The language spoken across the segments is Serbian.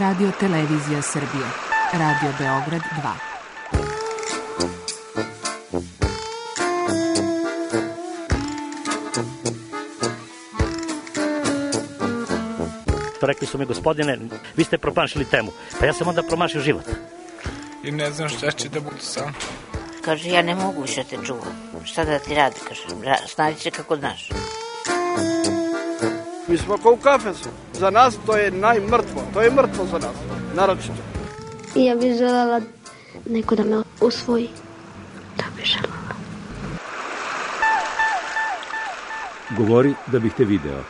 Radio Televizija Srbije, Radio Beograd 2. Rekli su mi, gospodine, vi ste promašili temu. Pa ja sam onda promašio život. I ne znam šta će da bude sam. Kaže, ja ne mogu više te čuvam. Šta da ti radi, kaže, snađi se kako znaš. Mi smo kao u kafesu. Za nas to je najmrtvo. To je mrtvo za nas, naročito. Ja bih želela neko da me usvoji. Da bih želela. Govori da bih te video.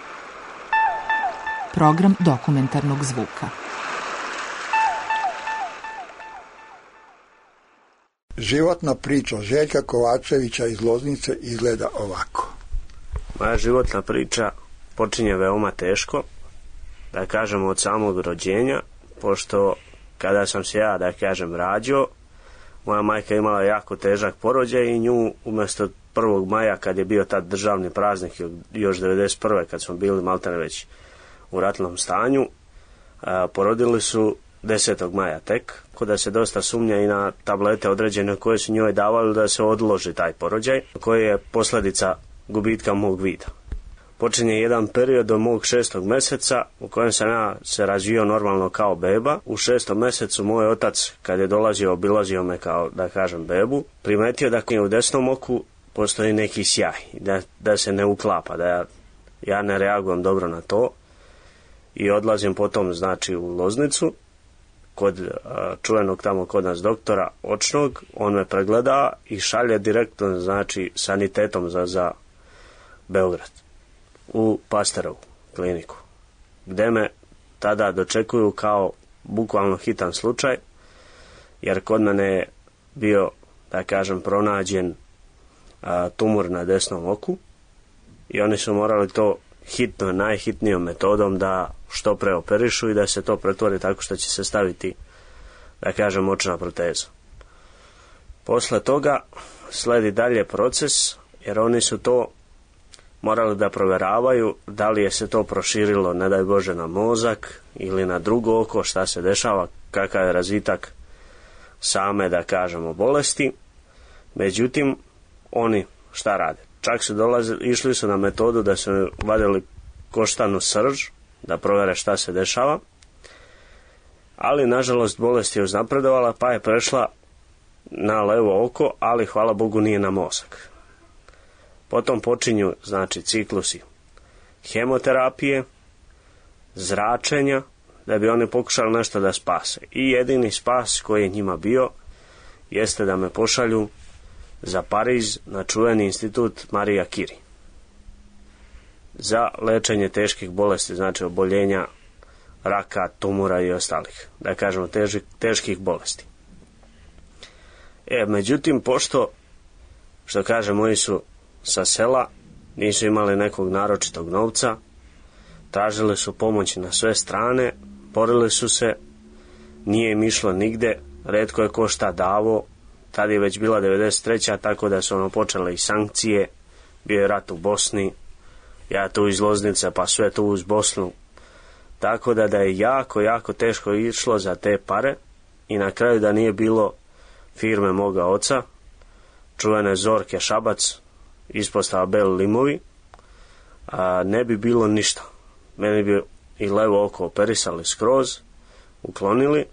Program dokumentarnog zvuka. Životna priča Željka Kovačevića iz Loznice izgleda ovako. Moja životna priča počinje veoma teško, da kažem od samog rođenja, pošto kada sam se ja, da kažem, rađao, moja majka imala jako težak porođaj i nju umjesto 1. maja, kad je bio tad državni praznik, još 91. kad smo bili maltene već u ratnom stanju, porodili su 10. maja tek, da se dosta sumnja i na tablete određene koje su njoj davali da se odloži taj porođaj, koji je posljedica gubitka mog vida. Počinje jedan period do mog 6. mjeseca u kojem sam ja se razvio normalno kao beba. U 6. mjesecu moj otac, kad je dolazio, obilazio me kao, da kažem, bebu, primetio da u desnom oku postoji neki sjaj, da se ne uklapa, da ja ne reagujem dobro na to i odlazim potom, znači, u Loznicu kod čuvenog tamo kod nas doktora očnog. On me pregleda i šalje direktno, znači, sanitetom za Beograd u Pasterovu kliniku, gde me tada dočekuju kao bukvalno hitan slučaj, jer kod mene je bio, da kažem, pronađen tumor na desnom oku i oni su morali to hitno, najhitnijom metodom da što pre operišu i da se to pretvori tako što će se staviti, da kažem, očna proteza. Posle toga sledi dalje proces, jer oni su to morali da provjeravaju da li je se to proširilo, ne daj Bože, na mozak ili na drugo oko, šta se dešava, kakav je razvitak same, da kažemo, bolesti. Međutim, oni šta rade? Čak su išli su na metodu da su vadili koštanu srž, da provjere šta se dešava, ali nažalost bolest je uznapredovala pa je prešla na levo oko, ali hvala Bogu nije na mozak. Potom počinju, znači, ciklusi hemoterapije, zračenja, da bi oni pokušali nešto da spase. I jedini spas koji je njima bio jeste da me pošalju za Pariz na čuveni institut Marija Kiri za lečenje teških bolesti, znači oboljenja, raka, tumora i ostalih, da kažemo, teških bolesti. Međutim, pošto, što kaže, moji su sa sela, nisu imali nekog naročitog novca, tražili su pomoć na sve strane, borili su se, nije im išlo nigde, retko je ko šta davo. Tad je već bila 93. tako da su počele i sankcije, bio je rat u Bosni, ja tu iz Loznice pa sve tu uz Bosnu, tako da je jako, jako teško išlo za te pare i na kraju da nije bilo firme moga oca, čuvene Zorke Šabac, ispostava Beli Limovi, ne bi bilo ništa. Meni bi i levo oko operisali skroz, uklonili.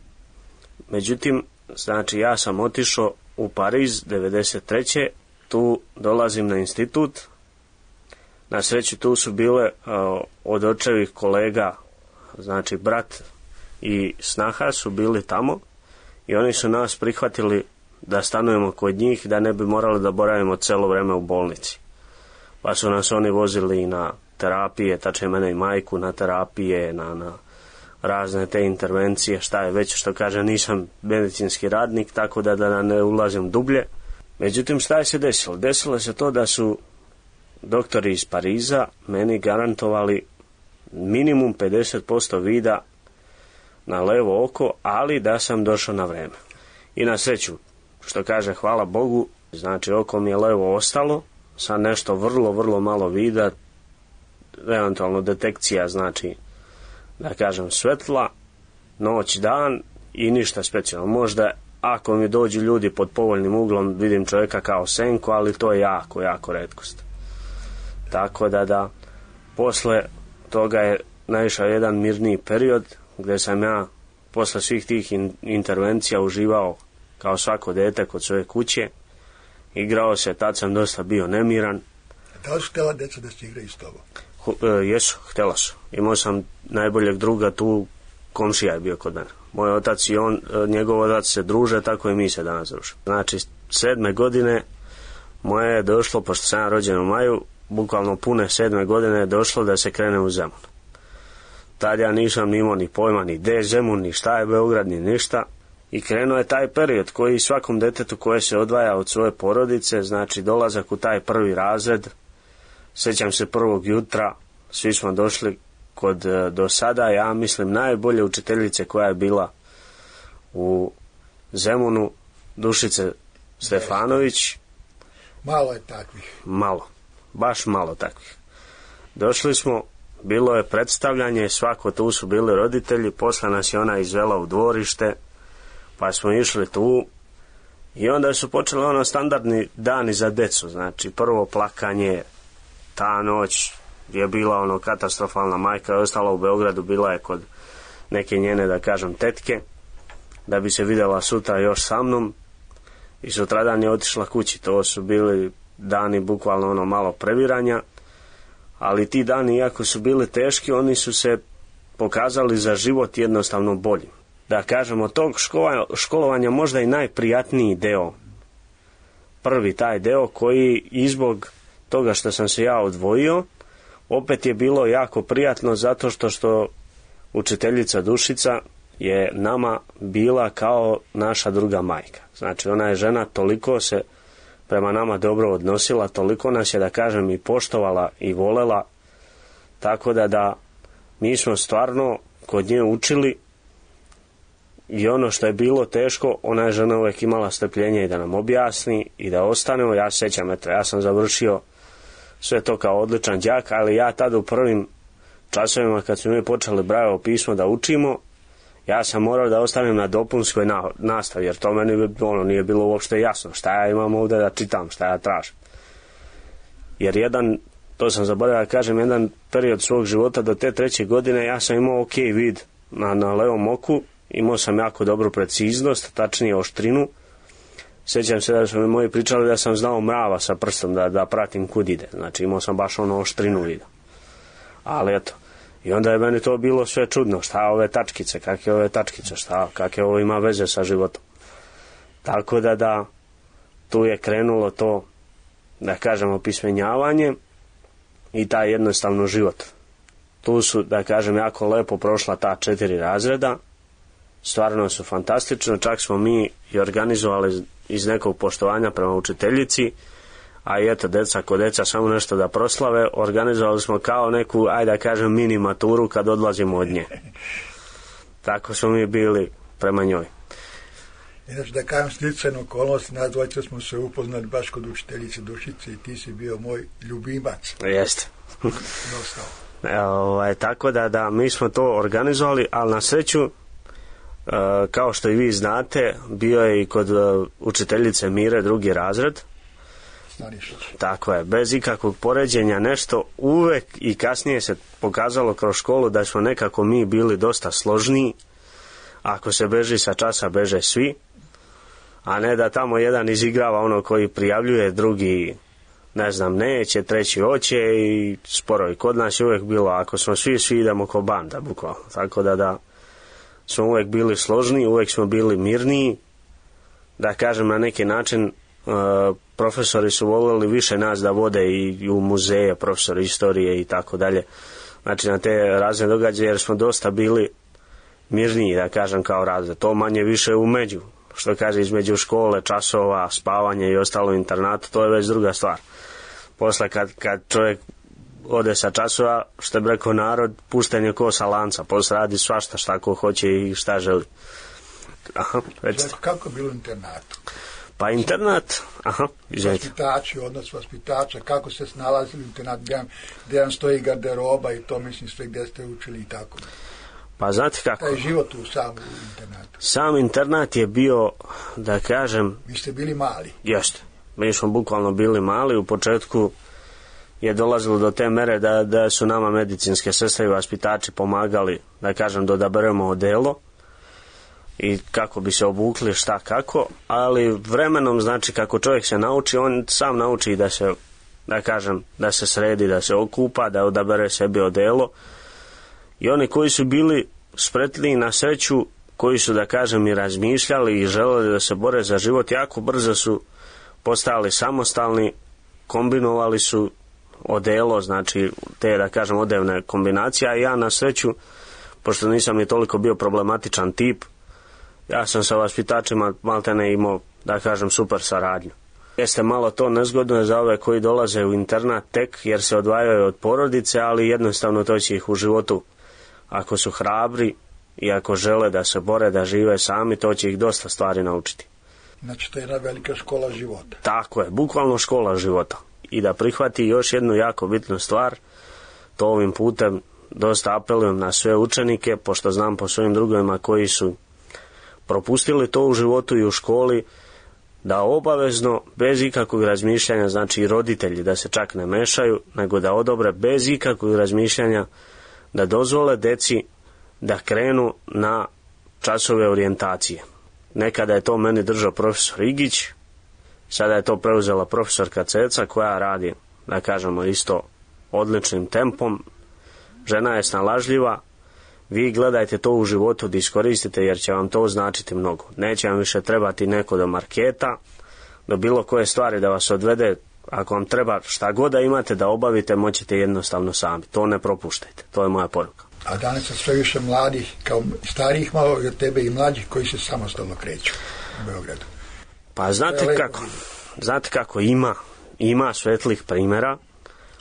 Međutim, znači, ja sam otišao u Pariz 93. Tu dolazim na institut. Na sreću tu su bile od očevih kolega, znači brat i snaha su bili tamo i oni su nas prihvatili da stanujemo kod njih, da ne bi morali da boravimo celo vreme u bolnici. Pa su nas oni vozili i na terapije, tačnije mene i majku na terapije, na razne te intervencije, šta je već, što kaže, nisam medicinski radnik, tako da ne ulazim dublje. Međutim, šta je se desilo? Desilo se to da su doktori iz Pariza meni garantovali minimum 50% vida na levo oko, ali da sam došao na vreme. I na sreću, što kaže, hvala Bogu, znači oko mi je levo ostalo, sa nešto vrlo, vrlo malo vida, eventualno detekcija, znači, da kažem, svetla, noć, dan i ništa specijalno. Možda ako mi dođu ljudi pod povoljnim uglom, vidim čovjeka kao senku, ali to je jako, jako retkost. Tako da posle toga je naišao jedan mirniji period gdje sam ja posle svih tih intervencija uživao kao svako dete kod svoje kuće. Igrao se, tad sam dosta bio nemiran. Da li su htjela djeca da se igraju s tobom? Jesu, htjela su. Imao sam najboljeg druga tu, komšija je bio kod mene. Moj otac i on, njegov otac se druže, tako i mi se danas družimo. Znači, 7. godine moje je došlo, pošto sam ja rođen u maju, bukvalno pune 7. godine je došlo da se krene u Zemun. Tad ja nisam imao ni pojma, ni gdje je Zemun, ni šta je Beograd, ni ništa. I krenuo je taj period koji svakom detetu koje se odvaja od svoje porodice, znači dolazak u taj prvi razred. Sjećam se prvog jutra, svi smo došli kod do sada, ja mislim, najbolje učiteljice koja je bila u Zemunu, Dušice Stefanović. Malo je takvih. Malo, baš malo takvih. Došli smo, bilo je predstavljanje, svako tu su bili roditelji, posle nas je ona izvela u dvorište, pa smo išli tu i onda su počeli standardni dani za decu, znači prvo plakanje, ta noć je bila katastrofalna, majka je ostala u Beogradu, bila je kod neke njene, da kažem, tetke, da bi se vidjela sutra još sa mnom i sutradan je otišla kući. To su bili dani bukvalno malo previranja, ali ti dani, iako su bili teški, oni su se pokazali za život jednostavno bolji. Da kažem, od tog školovanja možda i najprijatniji deo, prvi taj deo koji i zbog toga što sam se ja odvojio, opet je bilo jako prijatno zato što učiteljica Dušica je nama bila kao naša druga majka. Znači, ona je žena, toliko se prema nama dobro odnosila, toliko nas je, da kažem, i poštovala i volela, tako da mi smo stvarno kod nje učili i ono što je bilo teško, ona je žena uvijek imala strpljenje i da nam objasni i da ostanemo. Ja se sjećam, ja sam završio sve to kao odličan đak, ali ja tada u prvim časovima kad smo mi počeli Brajevo pismo da učimo, ja sam morao da ostanem na dopunskoj nastavi, jer to meni nije bilo uopšte jasno šta ja imam ovdje da čitam, šta ja tražim. Jer to sam zaboravio da kažem, jedan period svog života do te 3. godine ja sam imao ok vid na levom oku, imao sam jako dobru preciznost, tačnije oštrinu. Sjećam se da su mi moji pričali da sam znao mrava sa prstom da pratim kud ide, znači imao sam baš oštrinu vida. Ali eto, i onda je meni to bilo sve čudno, šta ove tačkice, kakve ove tačkice, kakve ovo ima veze sa životom. Tako da tu je krenulo to, da kažem, opismenjavanje i taj jednostavno život. Tu su, da kažem, jako lepo prošla ta 4 razreda, stvarno su fantastično, čak smo mi i organizovali iz nekog poštovanja prema učiteljici, a i eto, deca kod deca samo nešto da proslave, organizovali smo kao neku, ajde da kažem, mini maturu kad odlazimo od nje. Tako smo mi bili prema njoj. Inače, da kažem, sticajnu okolnost, nas dvojica smo se upoznali baš kod učiteljice Dušice i ti si bio moj ljubimac. Jeste. Tako da mi smo to organizovali, ali na sreću, kao što i vi znate, bio je i kod učiteljice Mire 2. razred. Tako je, bez ikakvog poređenja nešto, uvek i kasnije se pokazalo kroz školu da smo nekako mi bili dosta složniji. Ako se beži sa časa, beže svi, a ne da tamo jedan izigrava koji prijavljuje, drugi neće, treći hoće i sporo. I kod nas je uvek bilo, ako smo svi idemo ko banda, bukvalno. Tako da smo uvek bili složniji, uvek smo bili mirniji, da kažem, na neki način profesori su voljeli više nas da vode i u muzeje, profesori istorije i tako dalje, znači na te razne događaje, jer smo dosta bili mirniji, da kažem, kao razred. To manje više umeđu, što kaže, između škole, časova, spavanje i ostalo internatu, to je već druga stvar. Posle kad čovjek ode sa časova, što je rekao narod, pušten je ko sa lanca, posle radi svašta šta ko hoće i šta želi. Kako je bilo u internatu? Pa internat, vaspitači, odnos vaspitača, kako se snalazili u internat, gdje vam stoji garderoba i to, mislim, sve gdje ste učili i tako. Pa znate kako? Taj život u samom internatu. Sam internat je bio, da kažem... Vi ste bili mali. Jeste. Mi smo bukvalno bili mali. U početku je dolazilo do te mere da su nama medicinske sestre i vaspitači pomagali, da kažem, da odaberemo odelo i kako bi se obukli, šta kako, ali vremenom, znači, kako čovjek se nauči, on sam nauči da se, da kažem, da se sredi, da se okupa, da odabere sebi odelo. I oni koji su bili spretniji na sreću, koji su, da kažem, i razmišljali i želeli da se bore za život, jako brzo su postali samostalni, kombinovali su odelo, znači te, da kažem, odevne kombinacije, a ja na sreću, pošto nisam ni toliko bio problematičan tip, ja sam sa vaspitačima maltene imao, da kažem, super saradnju. Jeste malo to nezgodno za ove koji dolaze u internat tek jer se odvajaju od porodice, ali jednostavno to će ih u životu, ako su hrabri i ako žele da se bore, da žive sami, to će ih dosta stvari naučiti. Znači to je jedna velika škola života. Tako je, bukvalno škola života. I da prihvati još jednu jako bitnu stvar, to ovim putem dosta apelujem na sve učenike, pošto znam po svojim drugovima koji su propustili to u životu i u školi, da obavezno, bez ikakvog razmišljanja, znači i roditelji da se čak ne mešaju, nego da odobre bez ikakvog razmišljanja, da dozvole deci da krenu na časove orijentacije. Nekada je to meni držao profesor Igić, sada je to preuzela profesorka Ceca koja radi, da kažemo, isto odličnim tempom. Žena je snalažljiva, vi gledajte to u životu da iskoristite jer će vam to značiti mnogo. Neće vam više trebati neko do marketa, do bilo koje stvari da vas odvede. Ako vam treba šta god da imate da obavite, moćete jednostavno sami. To ne propuštajte, to je moja poruka. A danas je sve više mladih, kao starijih malo od tebe i mlađih koji se samostalno kreću u Beogradu. Pa znate kako ima svetlih primjera.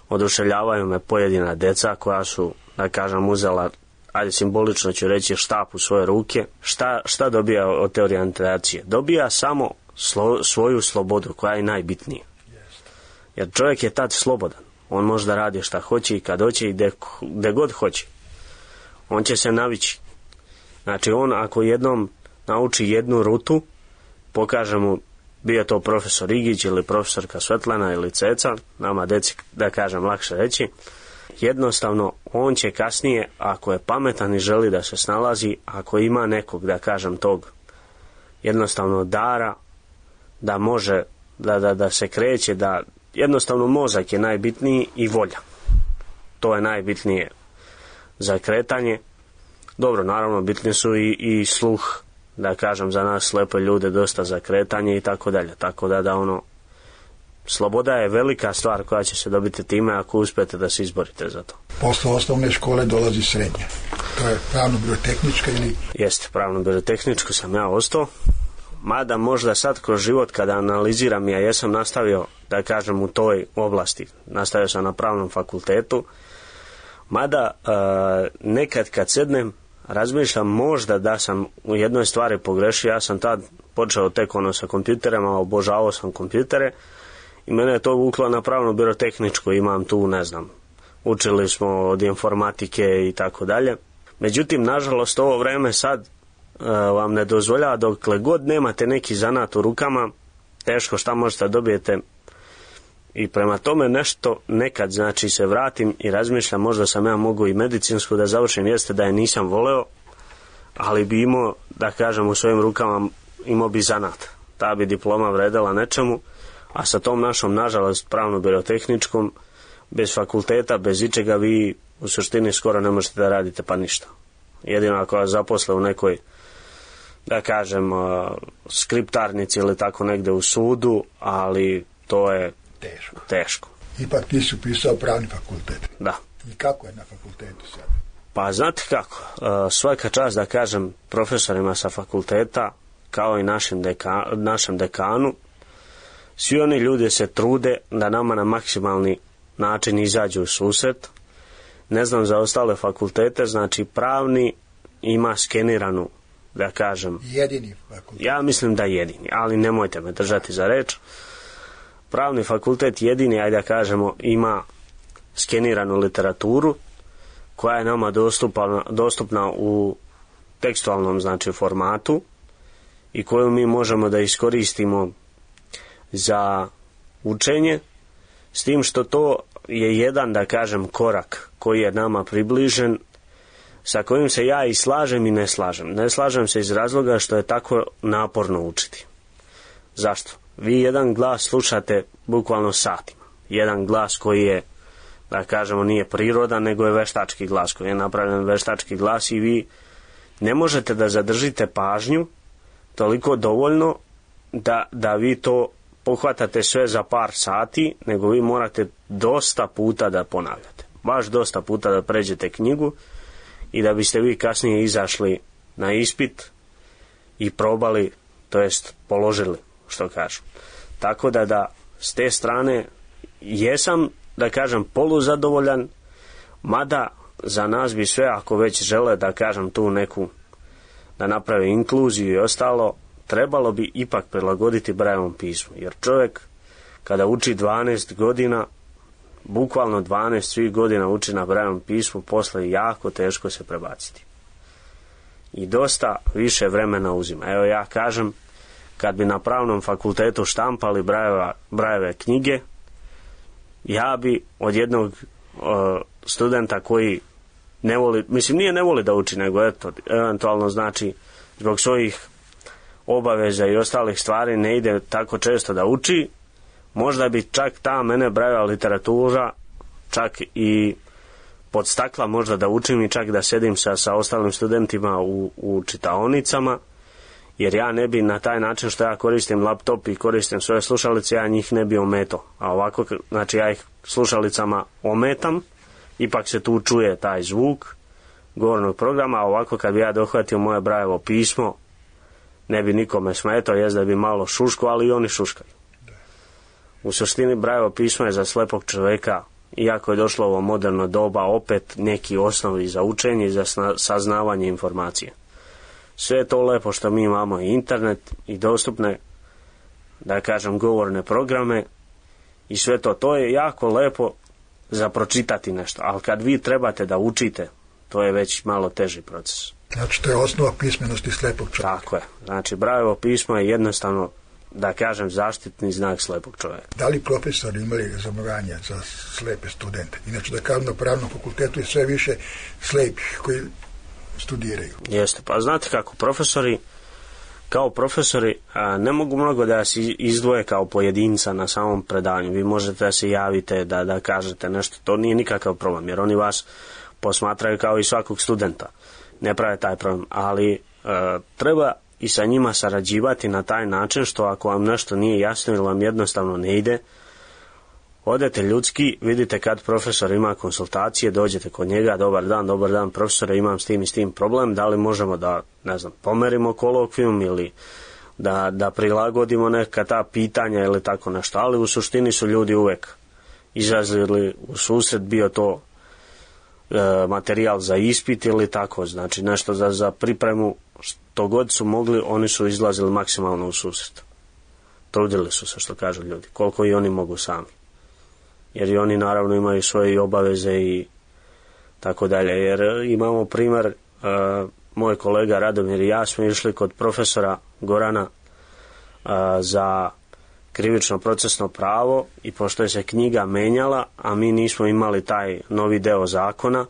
Oduševljavaju me pojedina deca koja su, da kažem, uzela, ajde simbolično ću reći, štap u svoje ruke. Šta dobija od te orijentacije? Dobija samo svoju slobodu koja je najbitnija. Jer čovjek je tad slobodan. On može da radi šta hoće i kad hoće i gde god hoće. On će se navići. Znači on ako jednom nauči jednu rutu, pokaže mu, bio to profesor Igić ili profesorka Svetlana ili Ceca, nama deci, da kažem, lakše reći, jednostavno on će kasnije, ako je pametan i želi da se snalazi, ako ima nekog, da kažem, tog jednostavno dara, da može da se kreće, da jednostavno mozak je najbitniji i volja. To je najbitnije za kretanje. Dobro, naravno bitni su i sluh, da kažem, za nas slepe ljude dosta za kretanje i tako dalje. Tako da ono, sloboda je velika stvar koja će se dobiti time ako uspijete da se izborite za to. Posle osnovne škole dolazi srednja. To je pravno-biotehnička ili... Jeste, pravno-biotehničku sam ja ostao. Mada možda sad kroz život kada analiziram, ja jesam nastavio, da kažem, u toj oblasti. Nastavio sam na pravnom fakultetu. Mada nekad kad sednem, razmišljam možda da sam u jednoj stvari pogrešio. Ja sam tad počeo tek sa kompjuterima, obožavao sam kompjutere i mene je to vuklo na pravno-birotehničko. Imam tu, ne znam, učili smo od informatike i tako dalje. Međutim, nažalost, ovo vreme sad vam ne dozvoljava, dokle god nemate neki zanat u rukama, teško šta možete dobijete. I prema tome nešto nekad, znači, se vratim i razmišljam, možda sam ja mogu i medicinsku da završim, jeste da je nisam voleo, ali bi imao, da kažem, u svojim rukama imao bi zanat. Ta bi diploma vredela nečemu, a sa tom našom, nažalost, pravno-birotehničkom, bez fakulteta, bez ičega, vi u suštini skoro ne možete da radite pa ništa. Jedino ako vas zaposle u nekoj, da kažem, skriptarnici ili tako negde u sudu, ali to je teško. Ipak ti si upisao pravni fakultet. Da. I kako je na fakultetu sad? Pa znate kako, svaka čast, da kažem, profesorima sa fakulteta, kao i našem dekanu, svi oni ljudi se trude da nama na maksimalni način izađu u susret. Ne znam za ostale fakultete, znači pravni ima skeniranu, da kažem. Jedini fakultet. Ja mislim da jedini, ali nemojte me držati za reč. Pravni fakultet jedini, ajde da kažemo, ima skeniranu literaturu koja je nama dostupna u tekstualnom znači formatu i koju mi možemo da iskoristimo za učenje, s tim što to je jedan, da kažem, korak koji je nama približen, sa kojim se ja i slažem i ne slažem. Ne slažem se iz razloga što je tako naporno učiti. Zašto? Vi jedan glas slušate bukvalno satima. Jedan glas koji je, da kažemo, nije prirodan, nego je veštački glas, koji je napravljen veštački glas i vi ne možete da zadržite pažnju toliko dovoljno da vi to pohvatate sve za par sati, nego vi morate dosta puta da ponavljate. Baš dosta puta da pređete knjigu i da biste vi kasnije izašli na ispit i probali, to jest položili, što kažu. Tako da s te strane jesam, da kažem, poluzadovoljan, mada za nas bi sve, ako već žele, da kažem, tu neku, da naprave inkluziju i ostalo, trebalo bi ipak prilagoditi Brailleovom pismu. Jer čovjek kada uči 12 godina, bukvalno 12 svih godina uči na Brailleovom pismu, posle jako teško se prebaciti. I dosta više vremena uzima. Evo ja kažem, kad bi na pravnom fakultetu štampali Brailleve knjige, ja bi od jednog studenta koji ne voli, mislim nije ne voli da uči, nego eto, eventualno znači zbog svojih obaveza i ostalih stvari ne ide tako često da uči, možda bi čak ta mene Brailleva literatura čak i podstakla možda da učim i čak da sedim sa ostalim studentima u čitaonicama, jer ja ne bi na taj način što ja koristim laptop i koristim svoje slušalice, ja njih ne bi ometao. A ovako, znači ja ih slušalicama ometam, ipak se tu čuje taj zvuk govornog programa, a ovako kad bi ja dohvatio moje Brailleovo pismo, ne bi nikome smetao, jest da bi malo šuško, ali i oni šuškaju. U suštini Brailleovo pismo je za slepog čovjeka, iako je došlo ovo moderno doba, opet neki osnovi za učenje i za saznavanje informacije. Sve je to lepo što mi imamo i internet i dostupne, da kažem, govorne programe i sve to je jako lepo za pročitati nešto, ali kad vi trebate da učite, to je već malo teži proces. Znači to je osnova pismenosti slepog čovjeka. Tako je, znači Brailleovo pismo je jednostavno, da kažem, zaštitni znak slepog čovjeka. Da li profesori imali razumevanja za slepe studente? Inače da kažem, na pravnom fakultetu je sve više slepih koji studiraju. Jeste, pa znate kako, kao profesori ne mogu mnogo da se izdvoje kao pojedinca na samom predavanju. Vi možete da se javite, da kažete nešto, to nije nikakav problem, jer oni vas posmatraju kao i svakog studenta. Ne prave taj problem, ali treba i sa njima sarađivati na taj način što ako vam nešto nije jasno ili vam jednostavno ne ide, odete ljudski, vidite kad profesor ima konsultacije, dođete kod njega, dobar dan profesore, imam s tim i s tim problem, da li možemo da, ne znam, pomerimo kolokvijum ili da prilagodimo neka ta pitanja ili tako nešto, ali u suštini su ljudi uvek izrazili u susret, bio to materijal za ispit ili tako, znači nešto za pripremu, što god su mogli, oni su izlazili maksimalno u susret. Trudili su se, što kažu ljudi, koliko i oni mogu sami. Jer i oni naravno imaju svoje obaveze i tako dalje. Jer imamo primjer, moj kolega Radomir i ja smo išli kod profesora Gorana za krivično procesno pravo i pošto je se knjiga menjala, a mi nismo imali taj novi deo zakona,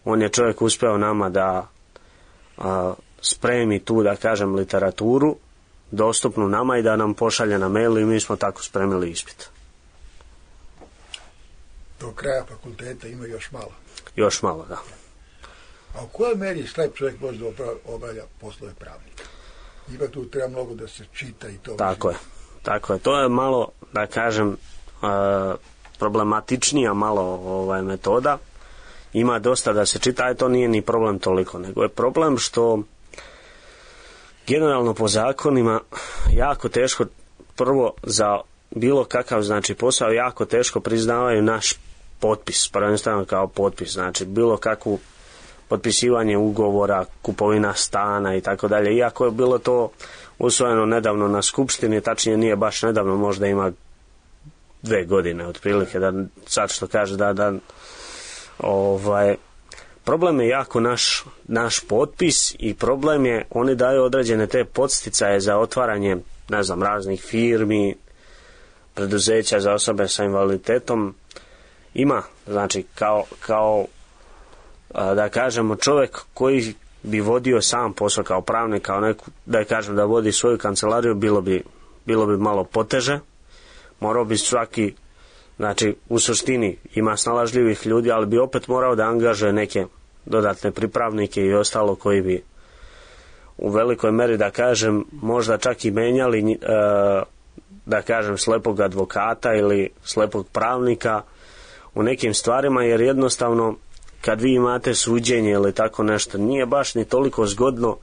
on je čovjek uspeo nama da spremi tu, da kažem, literaturu dostupnu nama i da nam pošalje na mail i mi smo tako spremili ispit. Do kraja fakulteta ima još malo. Još malo, da. A u kojoj meri slep čovjek može da obavlja poslove pravnika? Ipak tu treba mnogo da se čita i to. Tako je. To je malo, da kažem, problematičnija malo metoda. Ima dosta da se čita, a to nije ni problem toliko, nego je problem što generalno po zakonima jako teško, prvo za bilo kakav, znači, posao jako teško priznavaju naš potpis, prvenstveno kao potpis, znači bilo kakvu potpisivanje ugovora, kupovina stana i tako dalje. Iako je bilo to usvojeno nedavno na skupštini, tačnije nije baš nedavno, možda ima 2 godine otprilike, da sad što kaže da problem je jako naš potpis i problem je, oni daju određene te podsticaje za otvaranje, ne znam, raznih firmi, preduzeća za osobe sa invaliditetom. Ima, znači, kao da kažemo, čovjek koji bi vodio sam posao kao pravnik, kao neku, da kažem, da vodi svoju kancelariju, bilo bi malo poteže. Morao bi svaki, znači, u suštini ima snalažljivih ljudi, ali bi opet morao da angažuje neke dodatne pripravnike i ostalo koji bi u velikoj meri, da kažem, možda čak i menjali, da kažem, slepog advokata ili slepog pravnika u nekim stvarima, jer jednostavno kad vi imate suđenje ili tako nešto, nije baš ni toliko zgodno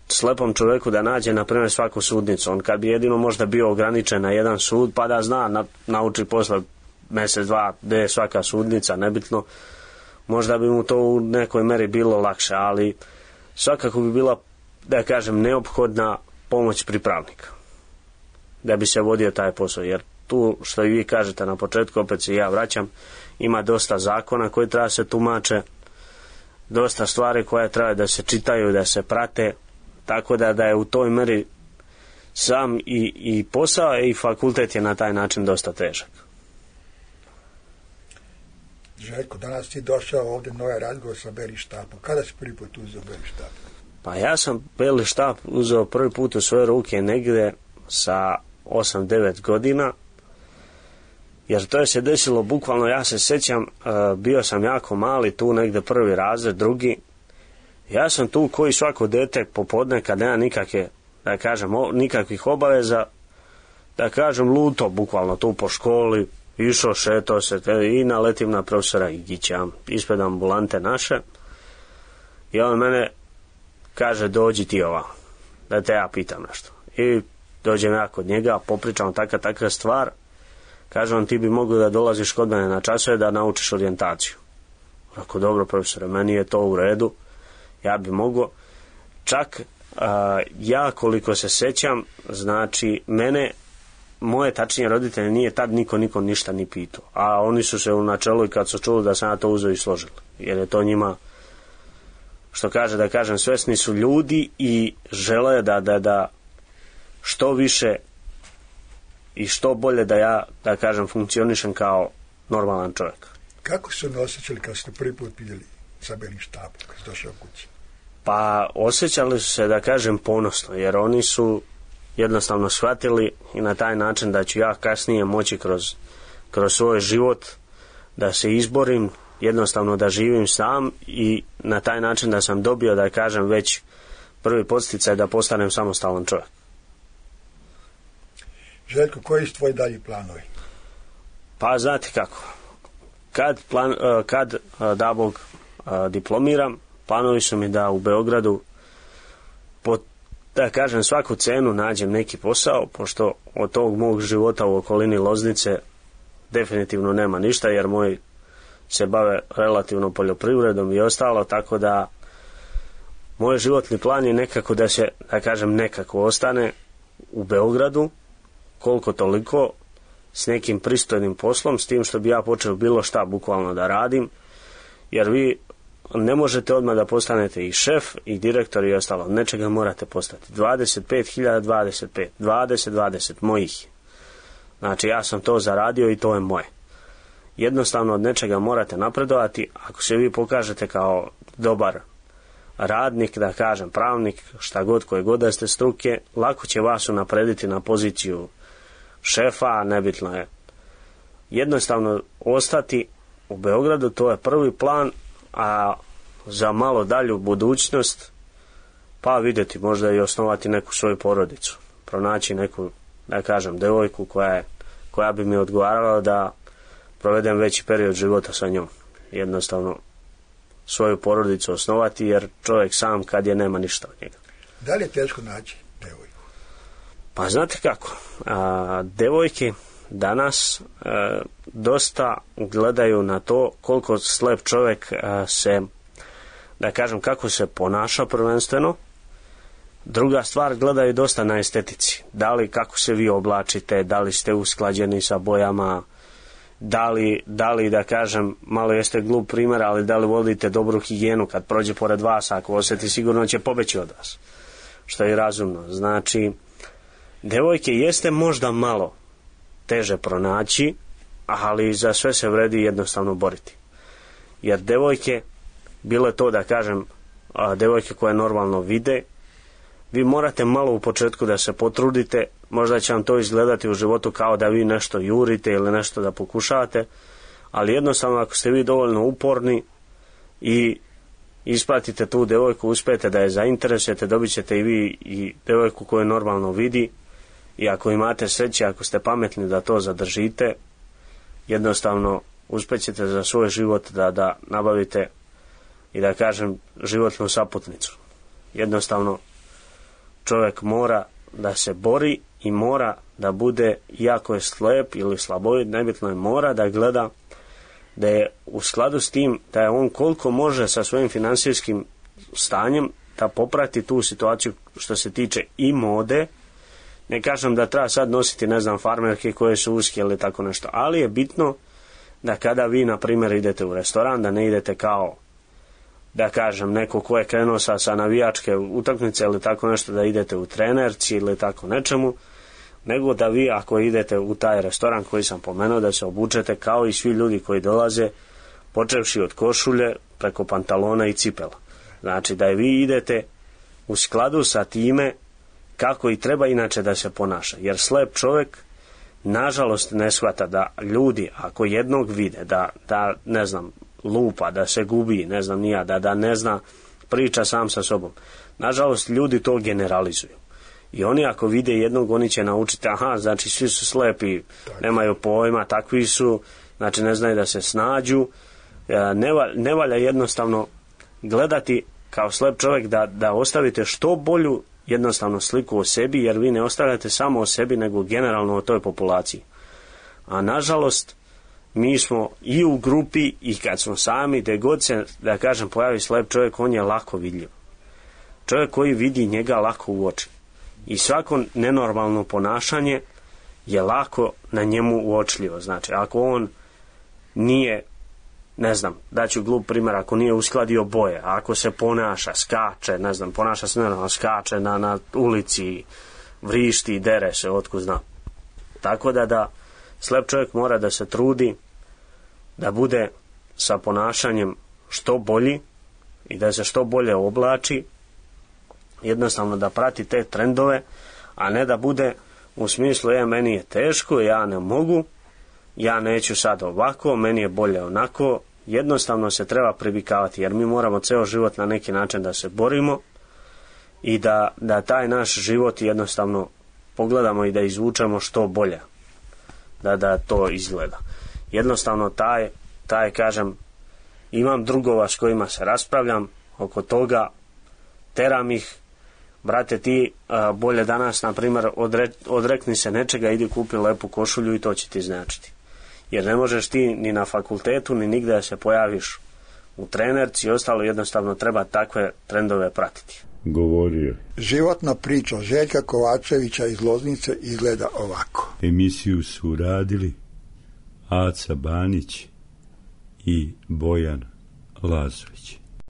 slepom čovjeku da nađe, na primjer, svaku sudnicu. On kad bi jedino možda bio ograničen na jedan sud, pa da zna, nauči posle mjesec, dva, gdje je svaka sudnica, nebitno, možda bi mu to u nekoj meri bilo lakše, ali svakako bi bila, da kažem, neophodna pomoć pripravnika da bi se vodio taj posao, jer tu, što i vi kažete na početku, opet se ja vraćam, ima dosta zakona koji treba se tumače, dosta stvari koje treba da se čitaju, da se prate, tako da je u toj meri sam i posao i fakultet je na taj način dosta težak. Željko, danas ti došao ovdje na ovaj razgovor sa Beli štapom. Kada si prvi put uzeo Beli štap? Pa ja sam Beli štap uzeo prvi put u svoje ruke negdje sa 8-9 godina, jer to je se desilo bukvalno, ja se sjećam, bio sam jako mali, tu negdje prvi razred, drugi. Ja sam tu koji svako dete popodne kad nema nikakve, da kažem, nikakvih obaveza, da kažem, luto bukvalno tu po školi, išao, šetao se i naletim na profesora Igića ispred ambulante naše i on mene kaže, dođi ti ovamo, da te ja pitam nešto. I dođem ja kod njega, popričam takva stvar, kaže on, ti bi mogao da dolaziš kod mene na časove da naučiš orijentaciju. Rekao, dobro profesore, meni je to u redu, ja bi mogao. Čak ja koliko se sjećam, znači moje tačnije roditelje nije tad niko ništa ni pitao, a oni su se u načelu i kad su čuli da sam ja to uzeo i složili, jer je to njima, što kaže, da kažem, svesni su ljudi i žele da što više i što bolje da ja, da kažem, funkcionišem kao normalan čovjek. Kako su se osjećali kad ste prvi put vidjeli sa Belim štapom, kad ste došao kući? Pa osjećali su se, da kažem, ponosno, jer oni su jednostavno shvatili i na taj način da ću ja kasnije moći kroz svoj život da se izborim, jednostavno da živim sam i na taj način da sam dobio, da kažem, već prvi podsticaj da postanem samostalan čovjek. Željko, koji su tvoji dalji planovi? Pa znate kako, kad da Bog diplomiram, planovi su mi da u Beogradu da kažem, svaku cenu nađem neki posao, pošto od tog mog života u okolini Loznice definitivno nema ništa, jer moji se bave relativno poljoprivredom i ostalo, tako da moj životni plan je nekako da se, da kažem, nekako ostane u Beogradu, koliko toliko, s nekim pristojnim poslom, s tim što bi ja počeo bilo šta bukvalno da radim, jer vi ne možete odmah da postanete i šef i direktor i ostalo, nečega morate postati. 25.025, 20 mojih. Znači ja sam to zaradio i to je moje. Jednostavno od nečega morate napredovati. Ako se vi pokažete kao dobar radnik, da kažem pravnik, šta god, koje god da ste struke, lako će vas unaprediti na poziciju šefa, nebitno je. Jednostavno ostati u Beogradu, to je prvi plan, a za malo dalju budućnost pa vidjeti, možda i osnovati neku svoju porodicu, pronaći neku, da kažem, devojku koja bi mi odgovarala da provedem veći period života sa njom. Jednostavno svoju porodicu osnovati, jer čovjek sam kad je nema ništa od njega. Da li je teško naći devojku? Pa znate kako, devojke danas dosta gledaju na to koliko slep čovjek se, da kažem, kako se ponaša prvenstveno. Druga stvar, gledaju dosta na estetici. Da li kako se vi oblačite, da li ste usklađeni sa bojama da li da kažem, malo jeste glup primjer, ali da li vodite dobru higijenu kad prođe pored vas, ako osjeti sigurno će pobeći od vas, što je razumno. Znači, devojke jeste možda malo teže pronaći, ali za sve se vredi jednostavno boriti. Jer devojke, bilo je to da kažem, devojke koje normalno vide, vi morate malo u početku da se potrudite, možda će vam to izgledati u životu kao da vi nešto jurite ili nešto da pokušavate, ali jednostavno ako ste vi dovoljno uporni i ispratite tu devojku, uspijete da je zainteresujete, dobit ćete i vi i devojku koju normalno vidi, i ako imate sreće, ako ste pametni da to zadržite, jednostavno uspjećete za svoj život da nabavite i da kažem životnu saputnicu. Jednostavno čovjek mora da se bori i mora da bude, iako je slep ili slabovid, nebitno je, mora da gleda da je u skladu s tim, da je on koliko može sa svojim financijskim stanjem da poprati tu situaciju što se tiče i mode. Ne kažem da treba sad nositi, ne znam, farmerke koje su uske ili tako nešto, ali je bitno da kada vi, na primjer, idete u restoran, da ne idete kao, da kažem, neko ko je krenuo sa navijačke utakmice ili tako nešto, da idete u trenerci ili tako nečemu, nego da vi, ako idete u taj restoran koji sam pomenuo, da se obučete kao i svi ljudi koji dolaze, počevši od košulje preko pantalona i cipela. Znači da vi idete u skladu sa time kako i treba inače da se ponaša. Jer slep čovjek nažalost ne shvata da ljudi, ako jednog vide da ne znam, lupa, da se gubi, ne znam nija, da ne zna, priča sam sa sobom, nažalost ljudi to generalizuju. I oni ako vide jednog, oni će naučiti, aha, znači svi su slepi, nemaju pojma, takvi su, znači ne znaju da se snađu. Ne valja jednostavno gledati kao slep čovjek da ostavite što bolju jednostavno sliku o sebi, jer vi ne ostavljate samo o sebi, nego generalno o toj populaciji. A nažalost, mi smo i u grupi i kad smo sami, gdje god se, da kažem, pojavi slep čovjek, on je lako vidljiv. Čovjek koji vidi njega lako uoči. I svako nenormalno ponašanje je lako na njemu uočljivo. Znači, ako on nije, ne znam, daću glup primjer, ako nije uskladio boje, ako se ponaša, skače, ne znam, ponaša se nenormalno, skače na ulici, vrišti, dere se, otkud znam. Tako da slep čovjek mora da se trudi da bude sa ponašanjem što bolji i da se što bolje oblači, jednostavno da prati te trendove, a ne da bude u smislu meni je teško, ja ne mogu, ja neću sad ovako, meni je bolje onako. Jednostavno se treba privikavati, jer mi moramo ceo život na neki način da se borimo i da taj naš život jednostavno pogledamo i da izvučemo što bolje, da to izgleda. Jednostavno taj kažem, imam drugova s kojima se raspravljam oko toga, teram ih, brate ti bolje danas, na primjer, odrekni se nečega, idi kupi lepu košulju i to će ti značiti. Jer ne možeš ti ni na fakultetu, ni nigde da se pojaviš u trenerci i ostalo, jednostavno treba takve trendove pratiti. Govorio. Životna priča Željka Kovačevića iz Loznice izgleda ovako. Emisiju su radili Aca Banić i Bojan Lazović.